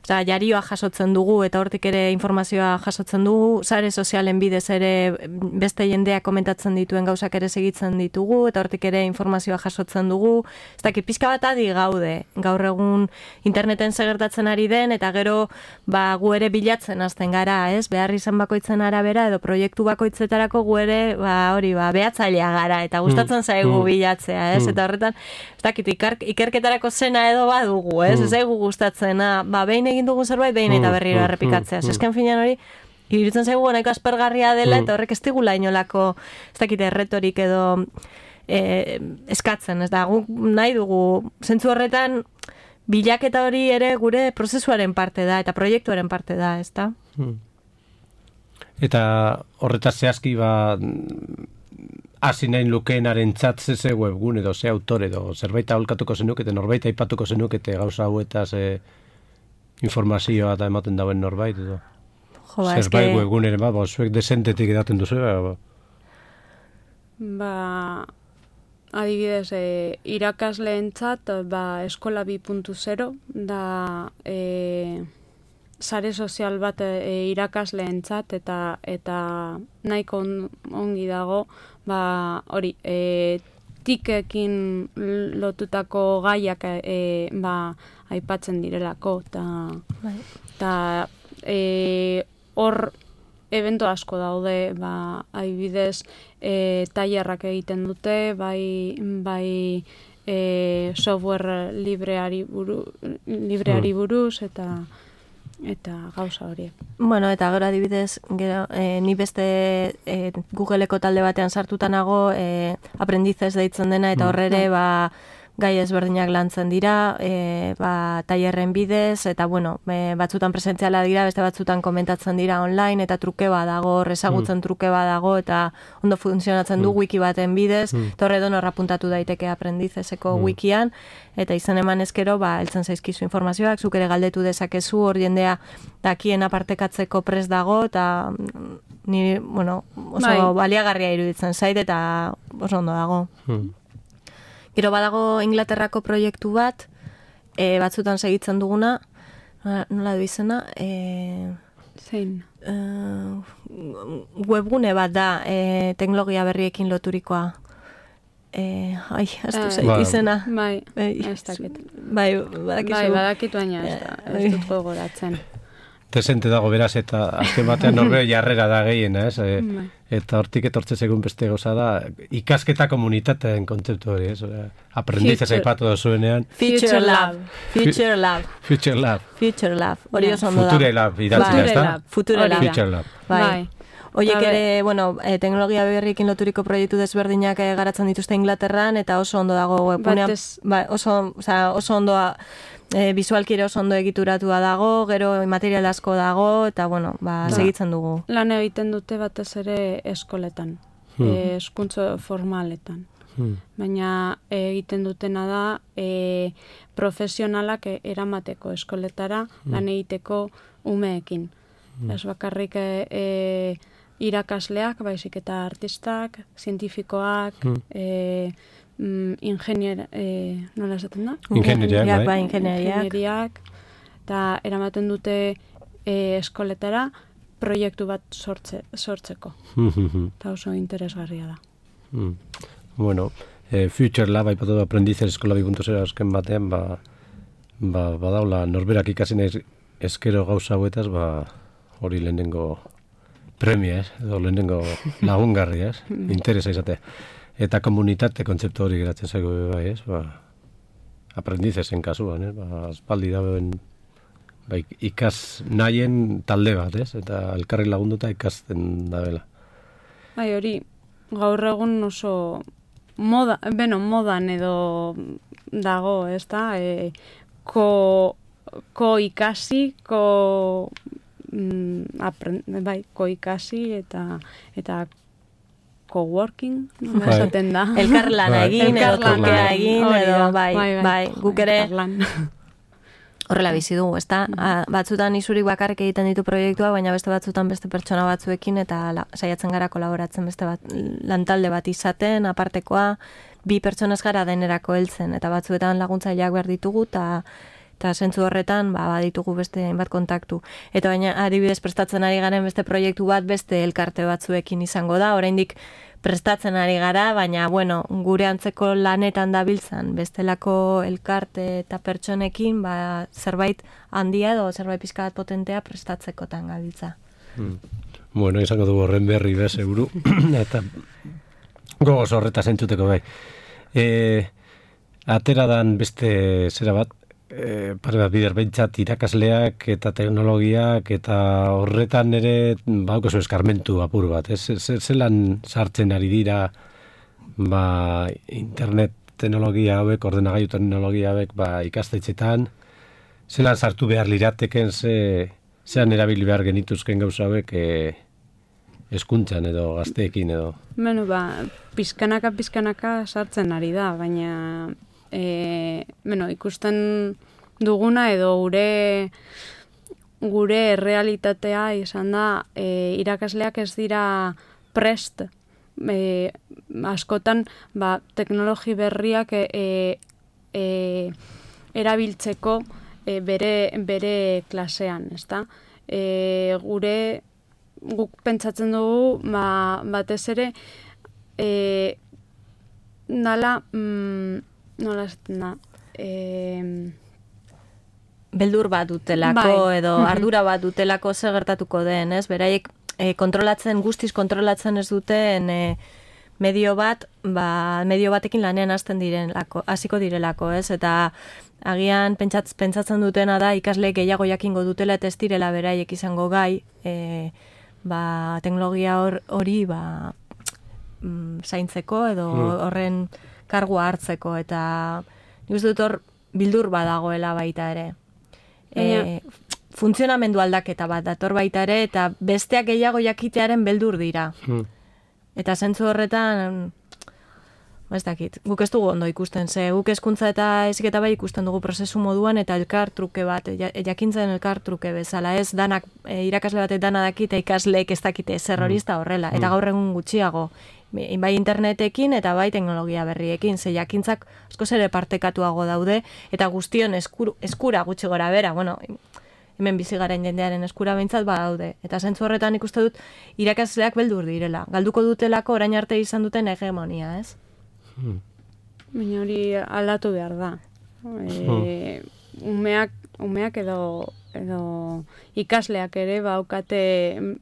jarioa jasotzen dugu eta hortik ere informazioa jasotzen dugu, sare sozialen bidez ere beste jendeak komentatzen dituen gauzak ere segitzen ditugu eta hortik ere informazioa jasotzen dugu. Ez dakit, pixka bat adi gaude, gaur egun interneten segertatzen ari den eta gero gu ere bilatzen hasten gara, ez? Behar izan bakoitzen arabera edo proiektu bakoitzetarako gu ere behatzailea gara eta gustatzen zaigu bilatzea, ez? Eta horretan, ez dakit, ikerketarako zena edo badugu, ez? Ez zaigu gustatzena, behin egin dugun zerbait, behin eta berriro errepikatzea. Esken finean hori, iruditzen zaigu nahiko aspergarria dela eta horrek ez digula inolako, ez dakit, erretorik edo eskatzen, ez da, guk nahi dugu, zentzu horretan, bilaketa hori ere gure prozesuaren parte da, eta proiektuaren parte da, ez da? Eta horretaz zehazki, hasi nahin lukeenaren txatzeze webgun edo ze autor edo zerbait aholkatuko zenukete, norbait aipatuko zenukete gauza hauetaz informazioa eta ematen dauen norbait edo zerbait webguneren zuek desentetik edaten duzu adibidez irakasleentzat eskola 2.0 da sare sozial bat irakasleentzat eta nahiko ongi dago hori tikekin lotutako gaiak aipatzen direlako eta hor evento asko daude adibidez tailerrak egiten dute bai software libreari buruz eta gauza horiek. Bueno, eta gero adibidez, ni beste Googleko talde batean sartuta nago, aprendizez deitzen dena, eta horrere, gai ezberdinak lantzen dira, tailerren bidez, eta bueno, batzutan presentziala dira, beste batzutan komentatzen dira online, eta truke badago, ezagutzen truke badago, eta ondo funtzionatzen du wiki baten bidez, eta horre donor apuntatu daiteke aprendizezeko wikian, eta izan eman ezkero, heltzen zaizkizu informazioak, zuk ere galdetu dezakezu, hor jendea dakien apartekatzeko prest dago, eta ni, bueno, oso baliagarria iruditzen zait eta oso ondo dago. Gero badago Inglaterrako proiektu bat, batzutan segitzen duguna, nola du izena, zein? Webgune bat da, teknologia berriekin loturikoa. Aztu zait izena. Bai, ez dakit. Bai, badakizu. Bai, badakit baina ez dut gogoratzen. Desente dago beraz, eta azken batean norbea jarrera da gehiena, ez? Eta hortik etortze segun beste gauza da, ikasketa komunitateen kontzeptu hori, ez? Aprendices aipatu da zuenean. Future Lab. Future Lab. Future Lab. Future Lab. Hori oso ondo da. Future Lab, idatzea, ez da? Future Lab. Future Lab. Bai. Oiek ere, bueno, teknologia berriekin loturiko proiektu desberdinak garatzen dituzte Inglaterran, eta oso ondo dago webgunean. Oso ondo, visualki ere oso ondo egituratua dago, gero material asko dago, eta bueno, segitzen dugu. Lan egiten dute batez ere eskoletan, hezkuntza formaletan. Baina egiten dutena da profesionalak eramateko eskoletara lan egiteko umeekin. Ez bakarrik irakasleak, baizik eta artistak, zientifikoak, nola esaten da? Ingenieriak, eta eramaten dute eskoletara proiektu bat sortzeko. Eta oso interesgarria da. Bueno, Future Lab, aipatu da Aprendices Eskola 2.0 azken batean, badaula norberak ikasin eskero gauza hauetaz, hori lehenengo premia, edo lehenengo lagungarri, interesa izate. Eta komunitate kontzeptu hori geratzen zaigu bai, Aprendizesen kasuan, aspaldi dauen ikas nahien talde bat, eta elkarri lagunduta ikasten dabela. Bai, hori, gaur egun oso modan edo dago, ez da, ikasi ikasi eta coworking, esaten da. Elkarlana egin, edo tokea egin, edo bai, guk ere horrela bizi dugu, ezta? Batzutan isurik bakarrik egiten ditu proiektua, baina beste batzutan beste pertsona batzuekin, eta saiatzen gara kolaboratzen beste lantalde bat izaten, apartekoa, 2 pertsonez gara denerako heltzen, eta batzuetan laguntzaileak behar ditugu, eta zentzu horretan baditugu beste hainbat kontaktu. Eta baina adibidez prestatzen ari garen beste proiektu bat beste elkarte batzuekin izango da, oraindik prestatzen ari gara, baina bueno, gure antzeko lanetan dabiltzan bestelako elkarte eta pertsonekin zerbait handia edo zerbait pixka bat potentea prestatzekotan gabiltza. Bueno, izango dugu horren berri seguru, eta gogoz horretaz entzuteko bai. Atera dan beste zera bat, pare bat bider behintzat irakasleak eta teknologiak eta horretan ere baukozu eskarmentu apur bat. Zelan sartzen ari dira internet teknologia hauek, ordenagailu teknologia hauek ikastetxetan, zelan sartu behar lirateken, zean erabili behar genituzken gauza hauek hezkuntzan edo gazteekin edo? Beno, pizkanaka sartzen ari da, baina ikusten duguna edo gure realitatea izan da irakasleak ez dira prest askotan teknologi berriak erabiltzeko bere klasean, ezta? Guk pentsatzen dugu batez ere nola esaten da, beldur bat dutelako edo ardura bat dutelako zer gertatuko den, ez? Beraiek guztiz kontrolatzen ez duten medio batekin lanean hasiko direlako, ez? Eta agian pentsatzen dutena da ikasleek gehiago jakingo dutela eta ez direla beraiek izango gai teknologia hori zaintzeko edo horren kargua hartzeko, eta nik uste dut hor bildur badagoela baita ere. Funtzionamendu aldaketa bat dator baita ere, eta besteak gehiago jakitearen beldur dira. Eta zentzu horretan, ez dakit, guk ez dugu ondo ikusten, ze guk hezkuntza eta heziketa bai ikusten dugu prozesu moduan eta elkar truke bat, jakintzen elkar truke bezala, ez danak, irakasle batek dana dakit, ikasleek ez dakite zer hori ez da horrela, eta gaur egun gutxiago, bai internetekin eta bai teknologia berriekin, ze jakintzak askoz ere partekatuago daude, eta guztion eskura gutxi gora bera, bueno, hemen bizi garen jendearen eskura behintzat badaude. Eta zentzu horretan ikuste dut irakasleak beldur direla. Galduko dutelako orain arte izan duten hegemonia, ez? Baina hori aldatu behar da. Umeak edo ikasleak ere baukate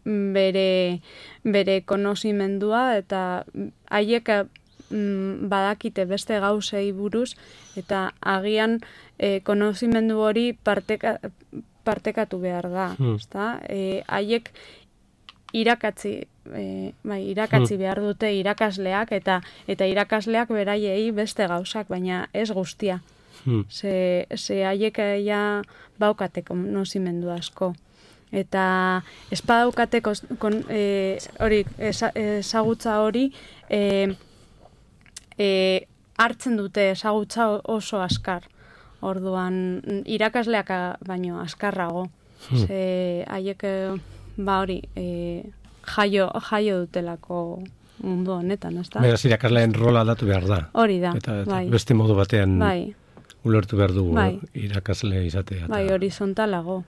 bere konozimendua eta haiek badakite beste gauzei buruz eta agian konozimendu hori partekatu behar da, ezta? Haiek irakatzi behar dute irakasleak eta irakasleak beraiei beste gauzak, baina ez guztia. Ze haiek ja baukate konozimendu asko. Eta espadaukate ezagutza hori hartzen dute ezagutza oso askar. Orduan, irakasleak baino askarrago. Ze haiek jaio dutelako mundu honetan, ezta? Beraz, irakasleen rola aldatu behar da. Hori da, eta bai. Beste modu batean bai. Ulertu behar dugu irakasle izatea. Bai, horizontalago.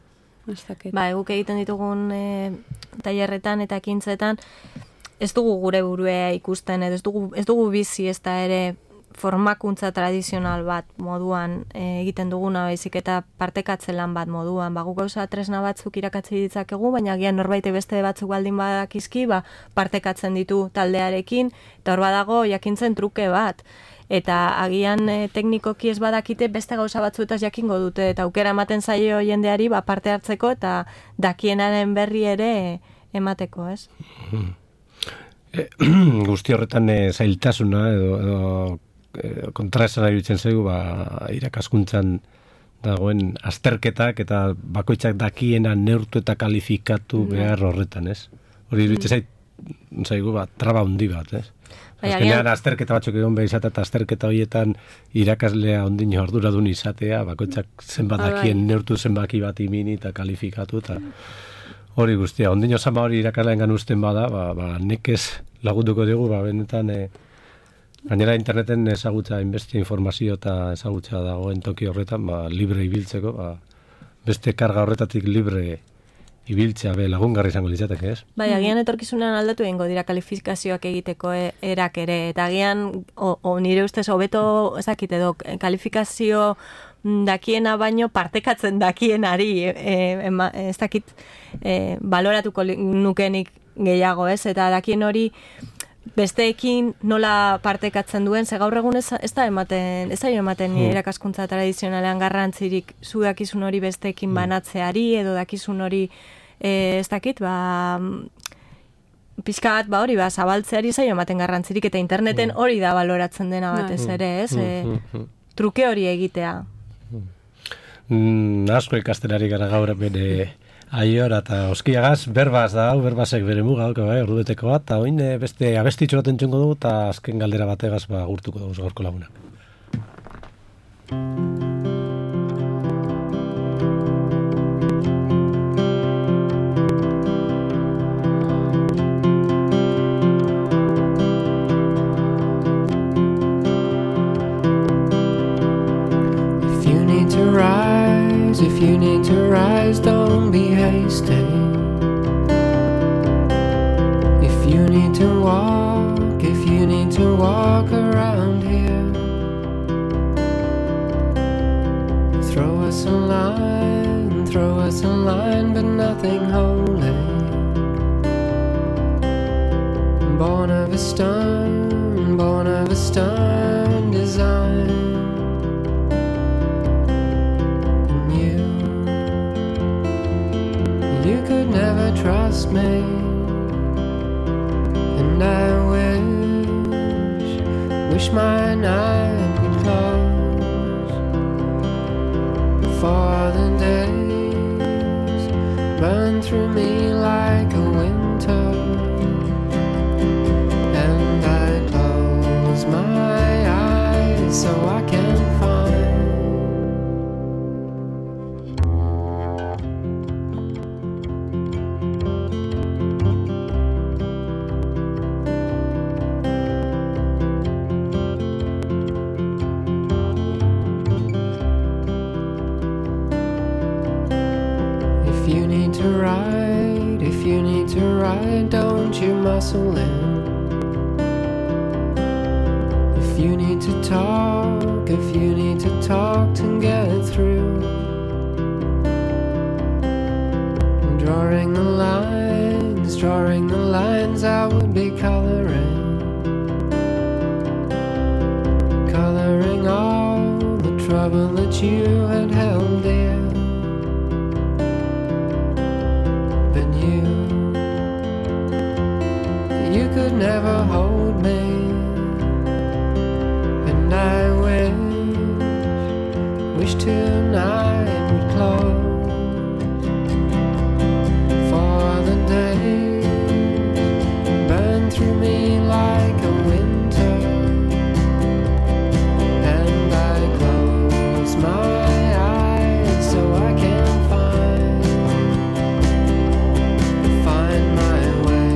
Bai, guk egiten ditugun tailerretan eta ekintzetan ez dugu gure burua ikusten, ez dugu bizi ez da ere formakuntza tradizional bat moduan egiten duguna baizik eta partekatze lan bat moduan. Guk gauza tresna batzuk irakatzi ditzakegu, baina agian norbait beste batzuk baldin badakizki, partekatzen ditu taldearekin, eta hor badago jakintzen truke bat. Eta agian teknikoki ez badakite beste gauza batzuetaz jakingo dute, eta aukera ematen zaio jendeari parte hartzeko eta dakienaren berri ere emateko, ez? Guzti horretan zailtasuna edo kontraesana iruditzen zaigu irakaskuntzan dagoen azterketak eta bakoitzak dakiena neurtu eta kalifikatu behar horretan, ez? Hori iruditzen zaigu traba handi bat, ez? Azkenean azterketa batzuk egon behar izatea eta azterketa horietan irakaslea ondino arduradun izatea, bakoitzak zenbat dakien neurtu zenbaki bat imini eta kalifikatu eta hori guztia. Ondino zama hori irakasleen usten bada, nekez lagunduko dugu, benetan gainera interneten ezagutza, inbeste informazio eta ezagutza dagoen toki horretan, libre ibiltzeko, beste karga horretatik libre ibiltzea lagungarri izango litzateke, ez? Bai, agian etorkizunean aldatu egingo dira kalifikazioak egiteko erak ere, eta agian, nire ustez, hobeto ezakit edo, kalifikazio dakiena baino partekatzen dakienari, ez dakit, baloratuko nukenik gehiago, ez? Eta dakien hori besteekin nola partekatzen duen, ze gaur egun ez da ematen irakaskuntza tradizionalean garrantzirik zu dakizun hori besteekin banatzeari, edo dakizun hori ez dakit, pixka bat hori zabaltzeari zaio ematen garrantzirik, eta interneten hori da baloratzen dena batez ere, ez? Truke hori egitea. Asko ikastenari gara gaur bere aiora eta oskiagaz, berbaz da, berbazek bere muga, ordubeteko bat, eta oin beste abestitxo bat entzungo dugu, eta azken galdera bategaz gurtuko dugu gaurko lagunak. If you need to rise, don't be hasty. If you need to walk around here, throw us a line, but nothing holy. Born of a stern design. You could never trust me, and I wish my night could close before the days burn through me like a winter, and I close my to ride, if you need to ride, don't you muscle in. If you need to talk, if you need to talk to get through. Drawing the lines I would be coloring all the trouble that you had held dear. But you could never hold me, and I wish tonight would close. Through me like a winter, and I close my eyes so I can find my way.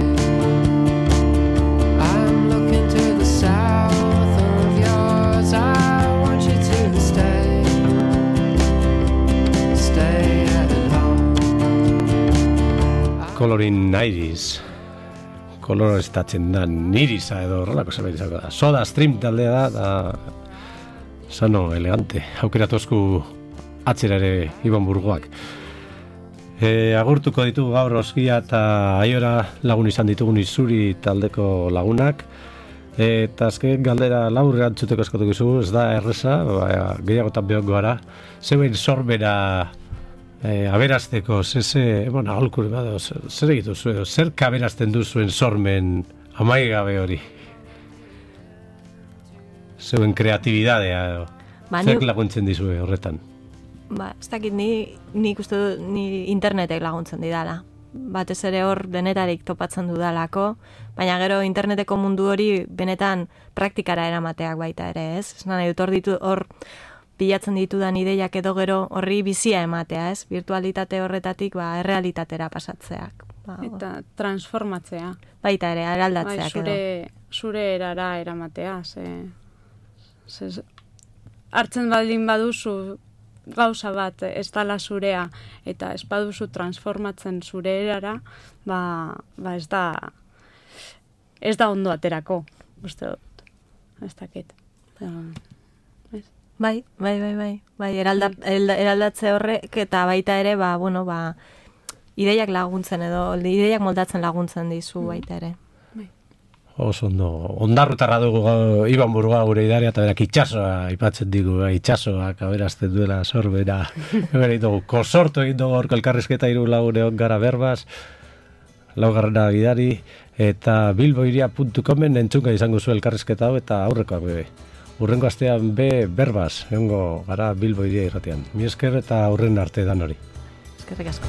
I'm looking to the south of yours. I want you to stay at home. Coloring 90s. Koloreztatzen da nirisa edo horrelako zerbait izango da. Soda Stream taldea da sano, elegante. Aukeratozku atzera ere Ibon Burgoak. Agurtuko ditugu gaur Oskia eta Aiora lagun izan ditugun Izuri taldeko lagunak. Eta azken galdera labur erantzuteko eskatuko izugu, ez da erreza, gehiagotan behongo gara. Zeuen sorbera aberazteko, aholkuri bado, zer egitu zuen, zer kaberazten duzuen sormen amaigabe hori? Zeuen kreatibidadea, zer laguntzen dizue horretan? Ez dakit, nik uste du, ni internetek laguntzen didala. Batez ere hor denetarik topatzen dudalako, baina gero interneteko mundu hori benetan praktikara eramateak baita ere, ez? Ez nahi dut hor bilatzen ditudan ideiak edo gero horri bizia ematea, ez? Virtualitate horretatik errealitatera pasatzeak. Eta transformatzea. Baita ere, eraldatzeak edo. Zure erara eramatea, hartzen baldin baduzu gauza bat ez dala zurea eta ez baduzu transformatzen zure erara, ez da ondo aterako, uste dut. Ez dakit. Bai, eraldatze horrek eta baita ere, ideiak laguntzen edo, ideiak moldatzen laguntzen dizu baita ere. Oso ondo, ondarrutarra dugu Ibon Burgoa gure idaria, eta berak itxasoa ipatzen digu, itxasoak aberazten duela sorbera. Dugu, kosortu egin dugu orko elkarrizketa 3 lagune on gara berbaz, laugarrena gidari, eta bilboiria.comen entzunga izango zu elkarrizketa hau, eta aurrekoak bebe. Urrengo astean berbaz, egongo gara Bilbo Iria irratian. Mi esker eta aurren arte dan hori. Eskerrik asko.